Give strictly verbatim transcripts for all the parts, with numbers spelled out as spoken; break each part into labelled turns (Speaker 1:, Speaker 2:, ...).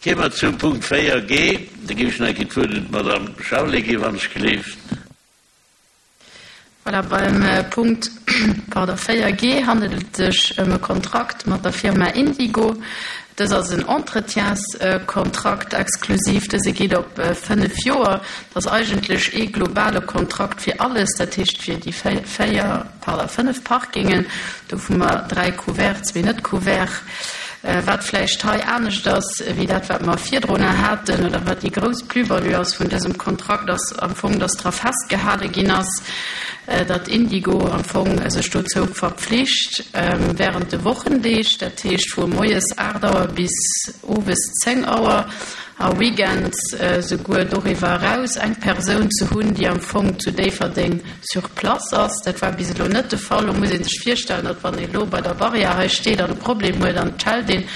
Speaker 1: Kéime mer zum Punkt véier G. Da géif ech nach eng Kéier d'Wuert un d'Madame Charlé ginn, wann ech gleeft.
Speaker 2: Voilà, beim Punkt, pardon, véier G handelt et sech ëm e Kontrakt mat der Firma Indigo. Dës ass en Entretienskontrakt exklusiv. Dëse geet op fënnef Joer. Dat ass eigentlech ee globale Kontrakt fir alles, dat heescht fir déi véier, pardon, fënnef Parkingen. Do hu mer dräi couvert, zwee net couvert. Wat vläicht hei anescht ass wéi dat, wat mer virdrunner haten, oder wat déi grouss Plus-value ass vun dësem Kontrakt, ass am Fong, dass dra festgehale ginn ass, datt Indigo am Fong sech dozou verpflicht, während de Wochendeeg, dat heescht vu moies aacht Auer bis owes zéng Auer a weekends souguer doriwwer eraus, eng Persoun ze hunn, déi am Fong zu Déifferdeng sur place ass. Dat war bis elo net de Fall. Lo muss ee sech virstellen, datt wann ee lo bei der Barrière hei steet an e Problem huet an et schellt een,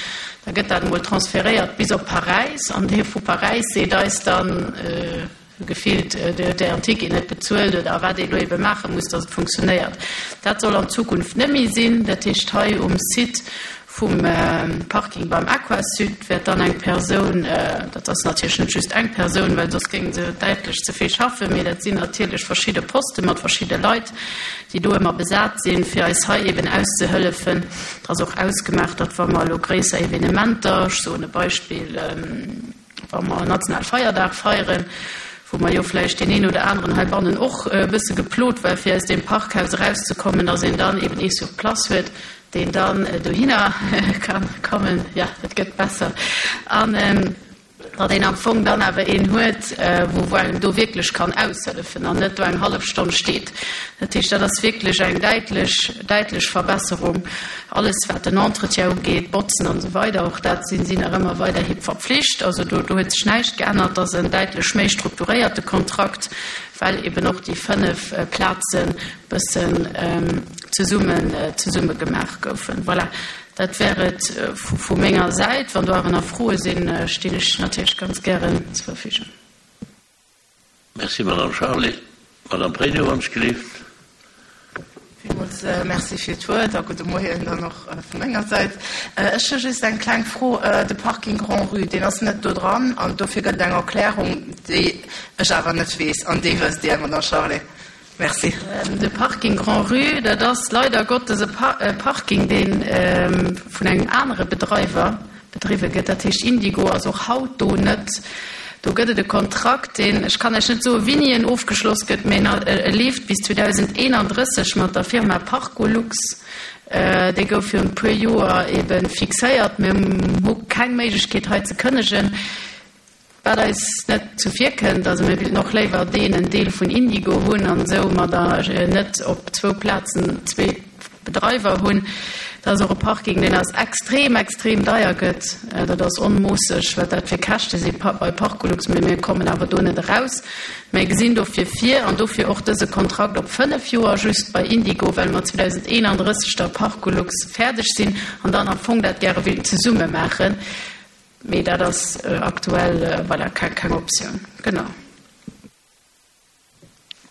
Speaker 2: da gëtt dat emol transferéiert bis op Paräis an dee vu Paräis seet eis dann, gefillt, Dir hutt Ären Ticket net bezuelt oder wat ee lo ebe maache muss, datt et funktionéiert. Dat soll an Zukunft net méi sinn. Dat heescht, hei um Site vum Parking beim Aquasud wäert dann eng Persoun, dat ass natierlech net just eng Persoun, well soss géinge se däitlech ze vill schaffen, mee dat sinn natierlech verschidde Poste mat verschidde Leit, déi do ëmmer besat sinn, fir eis hei eben auszehëllefen. Et ass och ausgemaach, datt wa mer elo gréisser Evenementer, ech soen e Beispill, wa mer nationale Feierdag feieren, wou mer jo vläicht deen een oder aneren heibannen och e bësse geplot war, fir aus deem Parkhaus erauszekommen, datt een dann eben ee sur place huet, deen dann dohinner ka kommen, jo, et gëtt besser, an datt een am Fong dann awer een huet, wou wou engem do wierklech kann aushëllefen an net do eng hallef Stonn steet. Dat heescht, dat ass wierklech eng däitlech, däitlech Verbesserung. Alles, wat den Entretien ugeet, Botzen an esou weider, och dat sinn si nach ëmmer weiderhi verpflicht. Also do, do huet sech näischt geännert. Dat ass en däitlech méi strukturéierte Kontrakt, well eben och déi fënnef Plazen bëssen zesummen, zesumme gemaach goufen. Voilà, dat wär et vu menger Säit. Wann do awer nach Froe sinn, stinn ech natierlech ganz gären zur Verfügung.
Speaker 1: Merci, Madame Charlé. Madame Pregno, wann ech gelift.
Speaker 3: Villmools Merci fir d'Wuert a gudde Moien dann och vu menger Säit. Ech hu just eng kleng Fro. De Parking Grand-Rue, deen ass net do dran an dofir gëtt et eng Erklärung, déi ech awer net weess an déi wësst Dir, Madame Charlé. Merci.
Speaker 2: De Parking Grand-Rue, dat ass leider Gottes e Parking, dee vun engem anere Bedreiwer bedriwwe gëtt. Dat heescht, Indigo ass och haut do net. Do gëtt et e Kontrakt, deen, ech kann Iech net soen, wéini en ofgeschloss gëtt, mä e leeft bis zweedausendeenandrësseg mat der Firma Parcolux. Dee gouf virun e puer Joer ebe fixéiert. Mir hu keng Méiglechkeet hei ze kënnegen, wat eis net zuvirkënnt. Also mir wéilten och léiwer deen en Deel vun Indigo hunn an esou mer da net op zwou Plazen zwee Bedreiwer hunn. Dat ass och e Parking, deen eis extrem, extrem deier gëtt. Dat ass onmoosseg, wat dat fir Käschte si bei Parcolux, mee mir kommen awer do net eraus. Mir gesinn dofir vir, an dofir och dëse Kontrakt op fënnef Joer just bei Indigo, well mer zweedausendeenandrësseg da Parcolux fäerdeg sinn an dann am Fong dat gäre wéilten zesumme maachen. Mee dat ass aktuell, voilà, keng Optioun. Genau.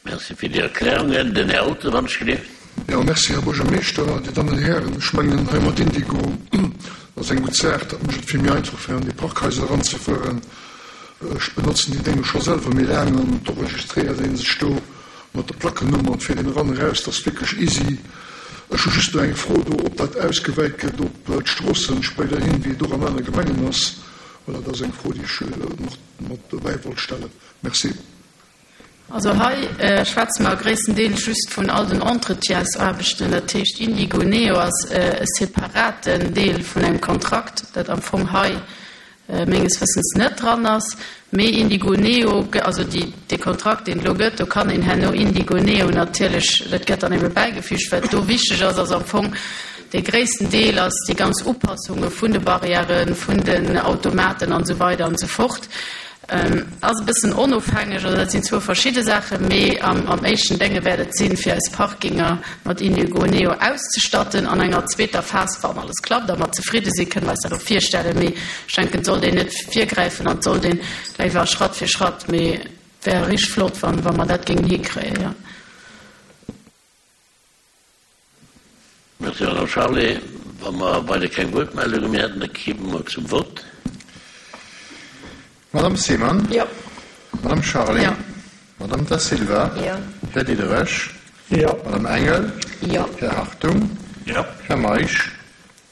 Speaker 1: Merci fir déi Erklärungen. Den Här Olten, wann ech gelift.
Speaker 4: Jo, merci, Här Buergermeeschter, Dir Dammen an Dir Hären. Ech mengen, hei mat Indigo, dat ass eng gutt Saach. Dat mécht et vill méi einfach, fir an déi Parkhaiser eranzefueren. Ech benotzen déi Dénge scho selwer méi laang an do registréiert ee sech do mat der Plackennummer an et fiert een eran, eraus. Dat ass wierklech easy. Ech hu just nach eng Fro do, ob dat ausgewäit gëtt op d'Stroossen spéiderhin, wéi et och an anere Gemengen ass. Voilà, dat ass eng Fro, déi ech nach mat dobäi wollt stellen. Merci.
Speaker 2: Also hei schwätze mer gréisstendeels just vun all den Entretiensaarbechten. Dat heescht, Indigo Neo ass e separaten Deel vun engem Kontrakt, dat am Fong hei menges Wëssens net dran ass. Mee Indigo Neo, also déi, dee Kontrakt, deen et elo gëtt, do kann een herno Indigo Neo natierlech, dat gëtt dann ebe bäigefügt. Wat do wichteg ass, ass am Fong, dee gréissten Deel ass déi ganz Upassunge vun de Barrièren, vun den Automaten an esou weider an esou fort. Ass e bëssen onofhängeg, also dat sinn zwou verschidde Saachen, mee am éischten Dénge wäert et sinn, fir eis Parkinger mat Indigo Neo auszestatten. An enger zweeter Phas, wann alles klappt a mer zefridde sinn, kënne mer eis dat och virstellen, mee ech denken, et sollt een net virgräifen an et sollt een léiwer Schratt fir Schratt, mee et wär richteg flott, wa mer dat géingen hikréien, jo.
Speaker 1: Merci, Madame Charlé. Wa mer weider keng Wuertmeldunge méi hätten, da kimme mer zum Vott.
Speaker 5: Madame Simon?
Speaker 2: Jo.
Speaker 5: Madame Charlé?
Speaker 2: Jo.
Speaker 5: Madame Da Silva?
Speaker 2: Jo.
Speaker 5: Här Diderich?
Speaker 6: Jo.
Speaker 5: Madame Engel?
Speaker 2: Jo.
Speaker 5: Här Hartung?
Speaker 1: Jo.
Speaker 5: Här Meisch?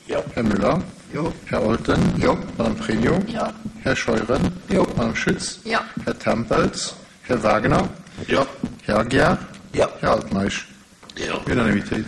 Speaker 1: Jo.
Speaker 5: Här Müller?
Speaker 4: Jo.
Speaker 5: Här Olten?
Speaker 4: Jo.
Speaker 5: Madame Pregno?
Speaker 2: Jo.
Speaker 5: Här Scheuren?
Speaker 4: Jo.
Speaker 5: Madame Schütz?
Speaker 2: Jo.
Speaker 5: Här Tempels? Här Wagner?
Speaker 1: Jo.
Speaker 5: Här Aguiar?
Speaker 1: Jo.
Speaker 5: Här Altmeisch?
Speaker 1: Jo.
Speaker 5: Unanimitéit.